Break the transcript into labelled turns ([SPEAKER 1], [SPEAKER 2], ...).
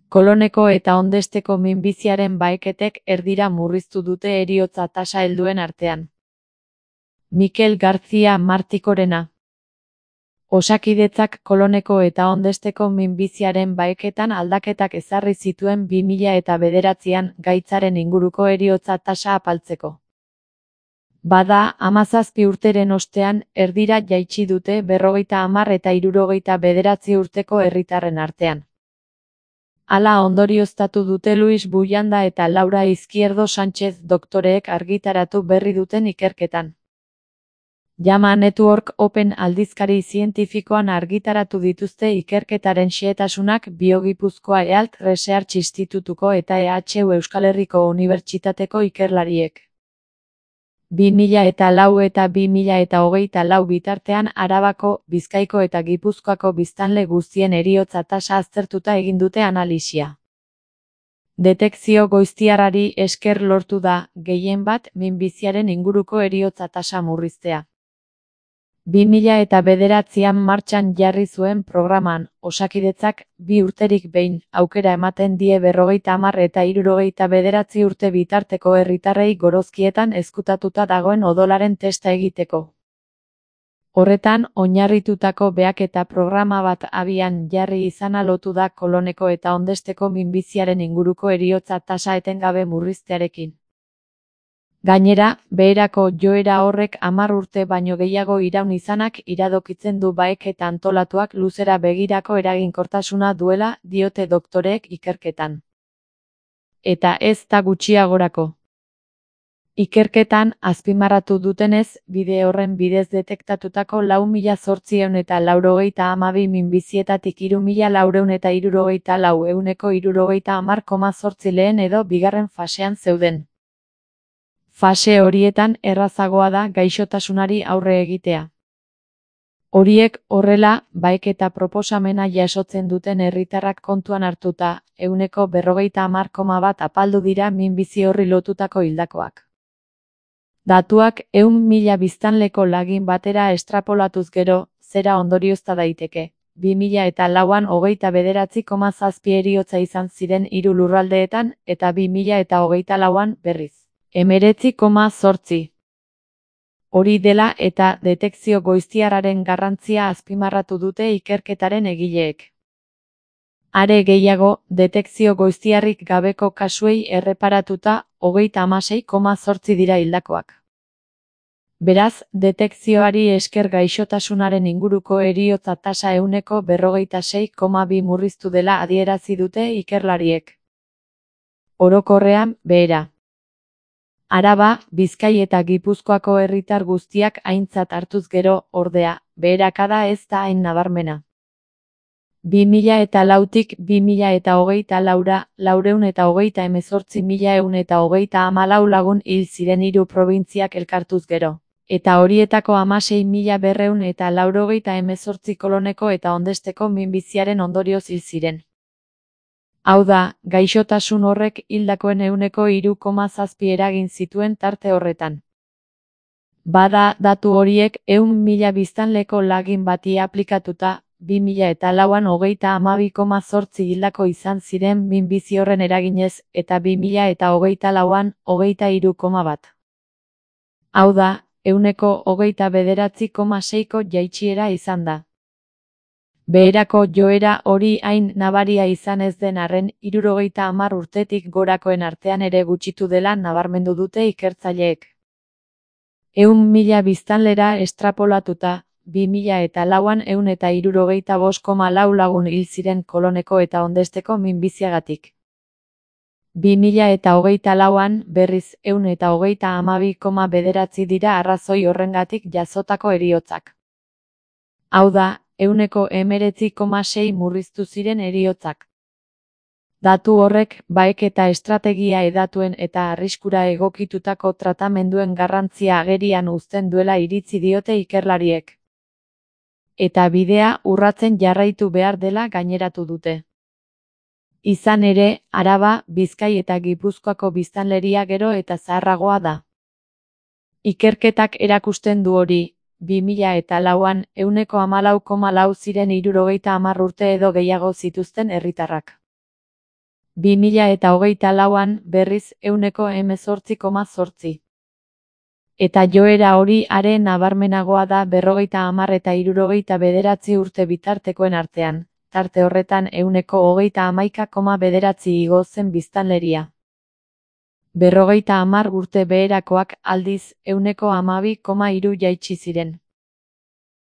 [SPEAKER 1] Koloneko eta Ondesteko minbiziaren baheketek erdira murriztu dute heriotza tasa helduen artean. Mikel García Martikorena. Osakidetzak Koloneko eta Ondesteko minbiziaren baheketan aldaketak ezarri zituen 2009an gaitzaren inguruko heriotza tasa apaltzeko. Bada, 17 urteren ostean, erdira jaitsi dute 50 eta 69 urteko herritarren artean. Hala ondorioztatu dute Luis Buyanda eta Laura Izquierdo Sánchez doktoreek argitaratu berri duten ikerketan. JAMA Network Open aldizkari zientifikoan argitaratu dituzte ikerketaren xehetasunak Biogipuzkoa Health Research Institutuko eta EHU Euskal Herriko Unibertsitateko ikerlariek. 2004 eta 2024 bitartean Arabako, Bizkaiko eta Gipuzkoako biztanle guztien heriotza tasa aztertuta egin dute analisia. Detekzio goiztiarrari esker lortu da, gehienbat, minbiziaren inguruko heriotza tasa murriztea. 2009an martxan jarri zuen programan, Osakidetzak, 2 urterik behin, aukera ematen die 50 eta 69 urte bitarteko herritarrei gorozkietan ezkutatuta dagoen odolaren testa egiteko. Horretan, oinarritutako behaketa programa bat abian jarri izana lotu da Koloneko eta Ondesteko minbiziaren inguruko heriotza tasa etengabe murriztearekin. Gainera, beherako joera horrek 10 urte baino gehiago iraun izanak iradokitzen du baheketa antolatuak luzera begirako eraginkortasuna duela, diote doktoreek ikerketan. Eta ez da gutxiagorako. Ikerketan, azpimarratu dutenez, bide horren bidez detektatutako 4.892 minbizietatik 3.474 ehuneko 70,8 lehen edo bigarren fasean zeuden. Fase horietan errazagoa da gaixotasunari aurre egitea. Horiek horrela, baheketa proposamena jasotzen duten herritarrak kontuan hartuta, ehuneko 50,1 apaldu dira minbizi horri lotutako hildakoak. Datuak 100.000 biztanleko lagin batera estrapolatuz gero, zera ondoriozta daiteke. 2004an 29,7 heriotza izan ziren 3 lurraldeetan eta 2024an berriz. 19,8. Hori dela eta detekzio goiztiarraren garrantzia azpimarratu dute ikerketaren egileek. Are gehiago, detekzio goiztiarrik gabeko kasuei erreparatuta 36,8 dira hildakoak. Beraz, detekzioari esker gaixotasunaren inguruko heriotza tasa ehuneko 46,2 murriztu dela adierazi dute ikerlariek. Orokorrean, behera. Araba, Bizkai eta Gipuzkoako herritar guztiak aintzat hartuz gero, ordea, beherakada ez da hain nabarmena. 2004tik 2024ra, 428.114 lagun hil ziren 3 probintziak elkartuz gero, eta horietako 16.298 Koloneko eta Ondesteko minbiziaren ondorioz hil ziren. Hau da, gaixotasun horrek hildakoen ehuneko 3,7 eragin zituen tarte horretan. Bada, datu horiek 100.000 biztanleko lagin bati aplikatuta, 2004an 32,8 hildako izan ziren minbizi horren eraginez, eta 2024an 23,1. Hau da, ehuneko 29,6ko jaitsiera izan da. Beherako joera hori hain nabaria izan ez den arren, 70 urtetik gorakoen artean ere gutxitu dela nabarmendu dute ikertzaileek. 100.000 biztanlera estrapolatuta, 2004an 175,4 lagun hil ziren Koloneko eta Ondesteko minbiziagatik. 2024an, berriz, 132,9 dira arrazoi horrengatik jasotako heriotzak. Hau da, ehuneko 19,6 murriztu ziren heriotzak. Datu horrek, baheketa estrategia hedatuen eta arriskura egokitutako tratamenduen garrantzia agerian uzten duela iritzi diote ikerlariek. Eta bidea urratzen jarraitu behar dela gaineratu dute. Izan ere, Araba, Bizkai eta Gipuzkoako biztanleria gero eta zaharragoa da. Ikerketak erakusten du hori, 2004an 14,4 ziren 70 urte edo gehiago zituzten herritarrak. 2024an, berriz, 18,8. Eta joera hori are nabarmenagoa da 50 eta 69 urte bitartekoen artean, tarte horretan 31,9 igo zen biztanleria. 50 urte beherakoak, aldiz, 12,3 jaitsi ziren.